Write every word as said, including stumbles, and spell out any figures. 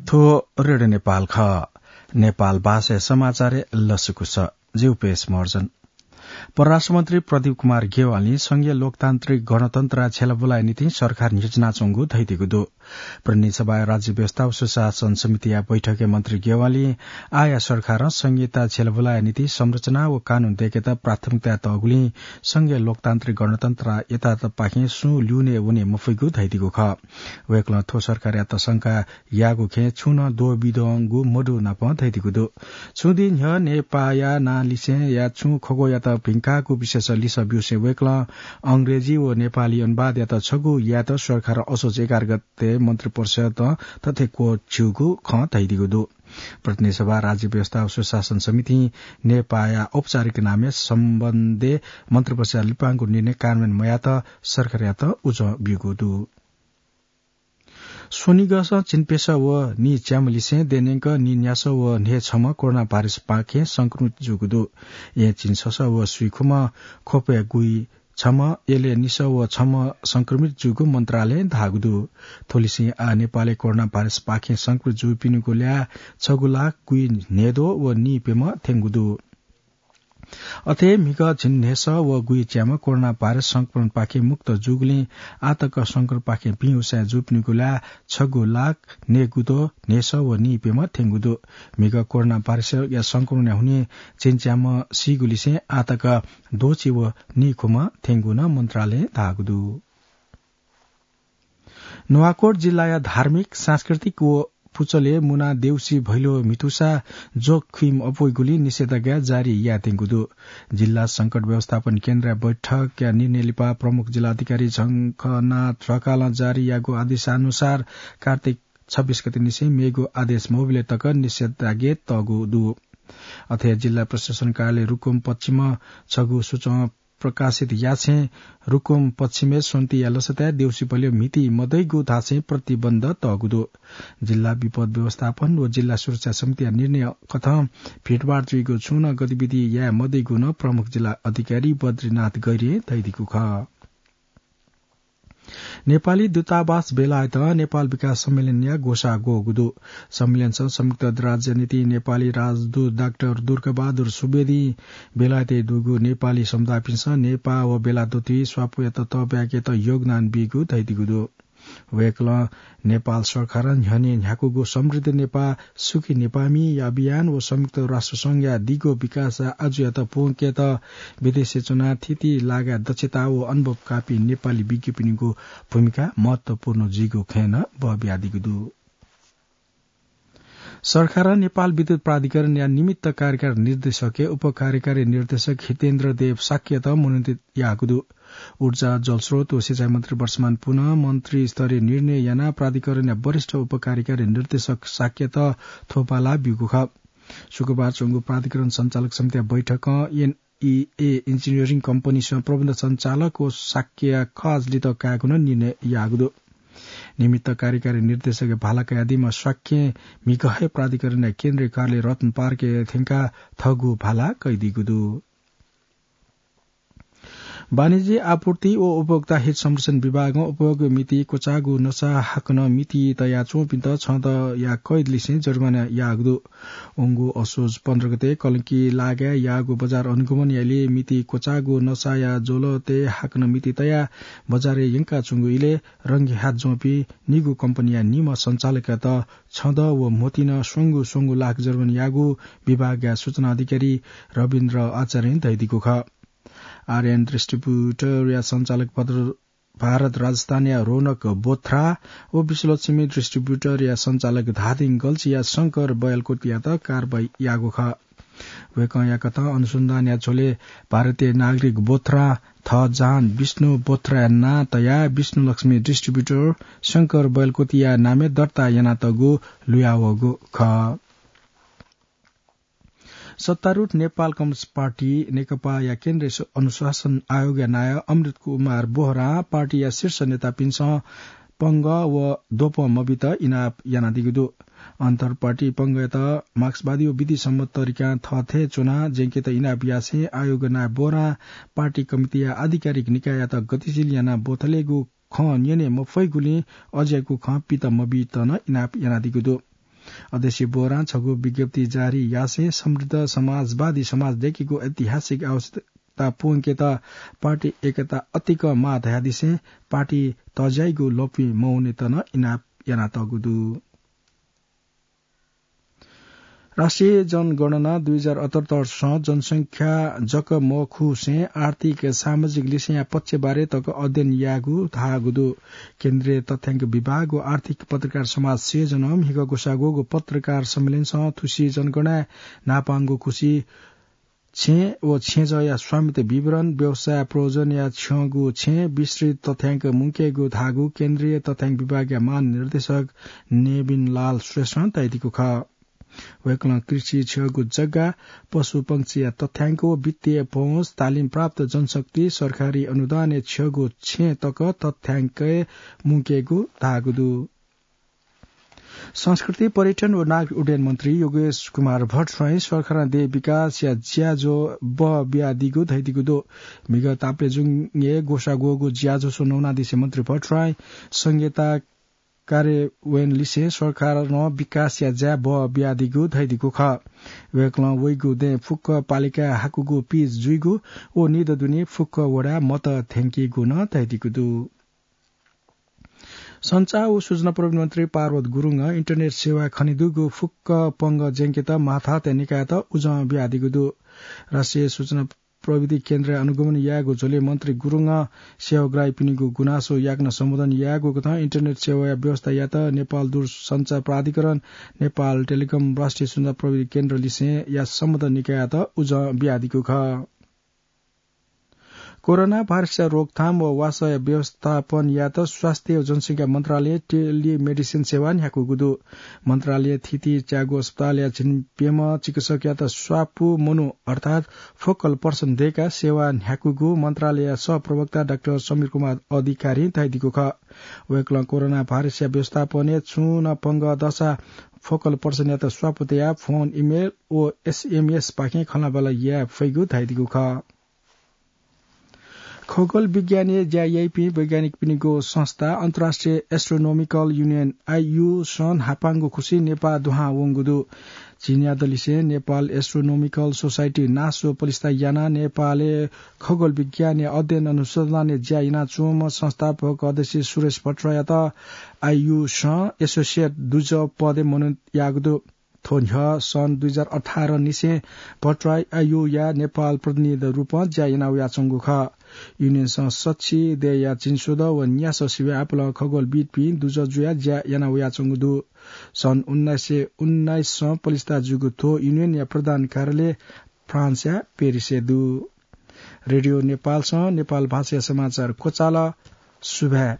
थ्व रेडियो नेपाल खः। नेपाल भाषाया समाचारय् लसकुस। जिगु पेश महर्जन। परराष्ट्रमन्त्री प्रदीप कुमार ग्यवालीं संघीय लोकतान्त्रिक गणतन्त्रया छ्यलाबुलाया निंतिं सरकार न्ह्यचिनाच्वंगु धयादीगु दु। प्रतिनिधि सभाया राज्य व्यवस्था व सुशासन समितिया बैठकय् मन्त्री ग्यवालीं आःया सरकारं संघीयता छ्यलाबुलाया निंतिं संरचना व कानून दय्केत प्राथमिकता तःगुलिं संघीय लोकतान्त्रिक गणतन्त्रया यथार्थपाखें सुं ल्यूने वने मफइगु धयादीगु खः। वय्कलं थ्व सरकारयात शंका याःगु खँय् छुं नं द्वःबिद्वंगु मदु नापं धयादीगु दु। छुं दिं न्ह्यः नेपाःया नां लिसेंया छुं खँग्वःयात भिंकाःगु विषयस लिसः ब्यूसें वय्कलं अंग्रेजी व नेपाली अनुवादयात छगू यायेत सरकारं असोज एघार गते मन्त्रिपरिषदं थथे क्वःछिउगु खँ धयादीगु दु। प्रतिनिधि सभा, राज्य व्यवस्था व सुशासन समितिं नेपाःया औपचारिक नामय् सम्बन्धय् मन्त्रिपरिषदया लिपांगु निर्णय कार्यान्वयन मयायेत सरकारयात उजं ब्यूगु दु। स्वनिगःसं झिंप्यसः व नीच्याम्ह लिसें देय्‌न्यंक नीन्यासः व न्हय्‌छम्ह कोरोना भाइरसपाखें संक्रमित जूगु दु। येँ झिंछसः व स्वीखुम्ह ख्वपय् गुइछम्ह, यलय् निसः व छम्ह संक्रमित जूगु मन्त्रालयं धाःगु दु। थ्व लिसें आः नेपालय् कोरोना भाइरसपाखें संक्रमित जूपिनिगु ल्याः छगू लाख गुइन्हय्‌द्वः व नीप्यम्ह थ्यंगु दु। अथे म्हिगः झिंन्हय्‌सः व गुइच्याम्ह कोरोना भाइरस संक्रमणपाखें मुक्त जूगुलिं आःतक संक्रमणपाखें भिं उसाँय् जूपिनिगु ल्याः छगू लाख न्हय्‌द्वः न्हय्‌सः व नीप्यम्ह थ्यंगु दु। म्हिगः कोरोना भाइरसया संक्रमणया हुनिं झिंच्याम्ह सीगुलिसें आःतक द्वःछि व नीखुम्ह थ्यंगु नं मन्त्रालयं धाःगु दु। नुवाकोट जिल्लाया धार्मिक, सांस्कृतिक व पुचलय् मुना देउसी भैलो म्हितुसा जोखिम अप्वइगुलिं निषेधाज्ञा जारी यायेत्यंगु दु। जिल्ला संकट व्यवस्थापन केन्द्रया बैठकया निर्णय लिपा प्रमुख जिल्ला अधिकारी झंखनाथ ढकालं जारी याःगु आदेशानुसार कार्तिक छब्बीस गते निसें मेगु आदेश मबिले तक निषेधाज्ञा तःगु दु। अथे जिल्ला प्रशासन कार्यालय रुकुम पश्चिमं छगू सूचं प्रकाशित याःछें रुकुम पश्चिमय् स्वन्तिया लसताय् देउसी भैलो म्हिती मदइगु धासें प्रतिबन्ध तःगु दु। जिल्ला विपद व्यवस्थापन व जिल्ला सुरक्षा समितिया निर्णय कथं भिडभाड जुइगु छुं नं गतिविधि याये मदइगु नं प्रमुख जिल्ला अधिकारी बद्रीनाथ गैरें धयादीगु खः। नेपाली दूतावास बेलायतं नेपाल विकास सम्मेलनया ग्वसाः ग्वःगु दु। सम्मेलनसं संयुक्त राज्य निंतिं नेपाली राजदूत डाक्टर दुर्गाबहादुर सुवेदीं बेलायतय् दुगु नेपाली समुदायपिन्सं नेपाः व बेलाय् दथुइ स्वापूया ततःब्याकेत योगदान बीगु धयादीगु दु। वय्कलं नेपाल सरकारं न्ह्यःने न्ह्याकूगु समृद्ध नेपाः, सुखी नेपाःमि अभियान व संयुक्त राष्ट्र संघया दिगो विकास आजुयात प्वंकेत विदेशय् च्वनाः थीथी लागाय् दक्षता व अनुभव काःपिं नेपाली विज्ञपिनिगु भूमिका महत्वपूर्ण जुइगु खँय् नं बः बियादीगु दु। सरकारं नेपाल विद्युत प्राधिकरणया निमित्त कार्यकारी निर्देशकय् उपकार्यकारी निर्देशक हितेन्द्र देव शाक्यत मनोनित याःगु दु। ऊर्जा, जलस्रोत व सिँचाइ मन्त्री वर्षमान पुनं मन्त्री स्तरीय निर्णय यानाः प्राधिकरणया वरिष्ठ उपकार्यकारी निर्देशक शाक्यत थ्व बाला ब्यूगु खः। शुक्रबार च्वंगु प्राधिकरण सञ्चालक समितिया बैठकं एनईए इन्जिनियरिङ कम्पनीसं प्रबन्ध सञ्चालक व शाक्यया खःसा लित कायेगु नं निर्णय याःगु दु। निमित्त कार्यकारी निर्देशकया भाला कयादीम्ह शाक्यं म्हिगः हे प्राधिकरणया केन्द्रीय कार्यालय रत्न पार्कय् थ्यंकाः थःगु भाला कयादीगु दु। वाणिज्य आपूर्ति व उपभोक्ता हित संरक्षण विभागं उपभोग मिति क्वचाःगु नसा हाकनं मिति तयाच्वंपिन्त छदँया कैद लिसें जरिवाना याःगु दु। वंगु असोज पन्ध्र गते कलंकी लागाय् याःगु बजार अनुगमनया इलय् मिति क्वचाःगु नसाया ज्वलतय् हाकनं मिति तयाः बजारय् यंकाच्वंगु इलय् रंगेहात ज्वंपिं निगू कम्पनीया निम्ह सञ्चालकयात छदँ व म्होतिं स्वंगू स्वंगू लाख जरिवाना याःगु विभागया सूचना अधिकारी रविन्द्र आचार्यं धयादीगु खः। आर्यन डिस्ट्रिब्युटरया सञ्चालक भद्र भारत राजस्थानया रौनक बोथ्रा व विश्वलक्ष्मी डिस्ट्रिब्युटरया सञ्चालक धादिङ गल्छीया शंकर बयलकोटीयात कारवाही याःगु खः। वय्कःया कथं अनुसन्धानया झ्वलय् भारतीय नागरिक बोथ्रा थःजान विष्णु बोथ्राया नां तयाः विष्णुलक्ष्मी डिस्ट्रिब्युटर शंकर बयलकोटीया नामय् दर्ता यानातःगु लुयावःगु खः। सत्तारूढ नेपाल कम्युनिस्ट पार्टी नेकपाया केन्द्रीय सु-, अनुशासन आयोगया नायः अमृत कुमार बोहरां पार्टीया शीर्ष नेतापिन्सं पंगः व द्वपं मबीत इनाप यानादीगु दु। अन्तर पार्टी पंगःयात मार्क्सवादी व विधिसम्मत तरिकां थःथें च्वनाः ज्यंकेत इनाप यासें आयोगया नायः बोहरां पार्टी कमिटीया आधिकारिक निकाययात गतिशील यानाः बोथलेगु खँ न्यने मफइगुलिं अज्याःगु खँ पित मबीत नं इनाप यानादीगु दु। अध्यक्ष बोहरां छगू विज्ञप्ति जारी यासें समृद्ध समाजवादी समाज दयेकेगु ऐतिहासिक आवश्यकता पूवंकेत पार्टी एकता अतिक माः धयादिसें पार्टी तज्याइगु लँपुइ मवनेत नं इनाप यानातःगु दु। राष्ट्रिय जनगणना दुई हजार अठहत्तर सं जनसंख्या जक मखुसें आर्थिक सामाजिक लिसेंया पक्षबारे तक अध्ययन याःगु धाःगु दु। केन्द्रीय तथ्याङ्क विभाग व आर्थिक पत्रकार समाज सिर्जनां म्हिगः ग्वसाः ग्वःगु पत्रकार सम्मेलनसं थुसी जनगणनाय् न्हापांगु खुसी छेँ व छेँजःया स्वामित्व विवरण, व्यवसाय प्रयोजनया छ्यंगु छेँ, विस्तृत तथ्याङ्क मुंकेगु धाःगु केन्द्रीय तथ्याङ्क विभागया महानिर्देशक नेविन लाल श्रेष्ठं धयादीगु खः। वय्कलं कृषि छ्यःगु जग्गा, पशुपंक्षीया तथ्याङ्क व वित्तीय पहुँच, तालिम प्राप्त जनशक्ति, सरकारी अनुदानय् छ्यःगु छेँ तक तथ्याङ्कय् मुंकेगु धाःगु दु। संस्कृति, पर्यटन व नागरिक उड्डयन मन्त्री योगेश कुमार भट्टराईं सरकारं देय् विकासया ज्याझ्वः बहः बियादीगु धयादीगु दु। म्हिगः तापालय् जुङय् ग्वसाः ग्वःगु ज्याझ्वः स्वन्हु वनादिसें मन्त्री भट्टराईं संघीयता कार्यान्वयन लिसें सरकारं विकासया ज्या बहः बियादीगु धयादीगु खः। वय्कलं वइगु दँय् फुक्क पालिकाय् हाकूगु पिच जुइगु व निदँ दुने फुक्क वडाय् मत थ्यंकीगु नं धयादीगु दु। सञ्चार व सूचना प्रविधि मन्त्री पार्वत गुरुङं इन्टरनेट सेवा खनेदुगु फुक्क पंगः ज्यंकेत माथातय् निकायत उजं बियादीगु दु। राष्ट्रिय सूचना प्रविधि केन्द्रय् अनुगमन यायेगु झ्वलय् मन्त्री गुरुङं सेवाग्राहीपिनिगु गुनासो याकनं सम्बोधन यायेगु कथं इन्टरनेट सेवाया व्यवस्था यायेत नेपाल दूरसञ्चार प्राधिकरण, नेपाल टेलिकम, राष्ट्रिय सूचना प्रविधि केन्द्र लिसें या सम्बन्ध निकायत उजं बियादीगु खः। कोरोना भाइरसया रोकथाम व वासःया व्यवस्थापन यायेत स्वास्थ्य व जनसंख्या मन्त्रालयं टेलिमेडिसिन सेवा न्ह्याकूगु दु। मन्त्रालयं थीथी च्यागू अस्पतालया झिंप्यम्ह चिकित्सकयात स्वापू मनू अर्थात् फोकल पर्सन दय्काः सेवा न्ह्याकूगु मन्त्रालयया सहप्रवक्ता डाक्टर समीर कुमार अधिकारीं धयादीगु खः। वय्कलं कोरोना भाइरसया व्यवस्थापनय् छुं नं पंगः दःसा फोकल पर्सनयात स्वापू तयाः फोन, इमेल व एसएमएस पाखें खँल्हाबल्हा याये फइगु धयादीगु खः। खगोल विज्ञानय् ज्या याइपिं वैज्ञानिकपिनिगु संस्था अन्तर्राष्ट्रिय एस्ट्रोनोमिकल युनियन, आइयु, सं न्हापांगु खुसी नेपाः दुहां वंगु दु। झिंन्यादँ लिसें नेपाल एस्ट्रोनोमिकल सोसाइटी, नासो, पलिस्था यानाः नेपालय् खगोल विज्ञानया अध्ययन अनुसन्धानय् ज्या यानाच्वंम्ह संस्थापक अध्यक्ष सुरेश भट्टराईयात आइयु सं एसोसिएट दुजः पदय् मनोनीत याःगु दु। थ्व न्ह्यः सन् दुई हजार अठार निसें भट्टराई आइयुया नेपाल प्रतिनिधिया रूपं ज्या याना वयाच्वंगु खः। युनियनसं सछि दय्या झिंस्वदँ व न्यासः सिबें आपालं खगोलविद्पिं दुजः जुयाः ज्या याना वयाच्वंगु दु। सन् उन्नाइस सय उन्नाइससं पलिस्था जूगु थ्व युनियनया प्रधान कार्यालय फ्रान्सया पेरिसय् दु। रेडियो नेपालसं नेपाल भाषाया समाचार क्वचाल। सुभाय्।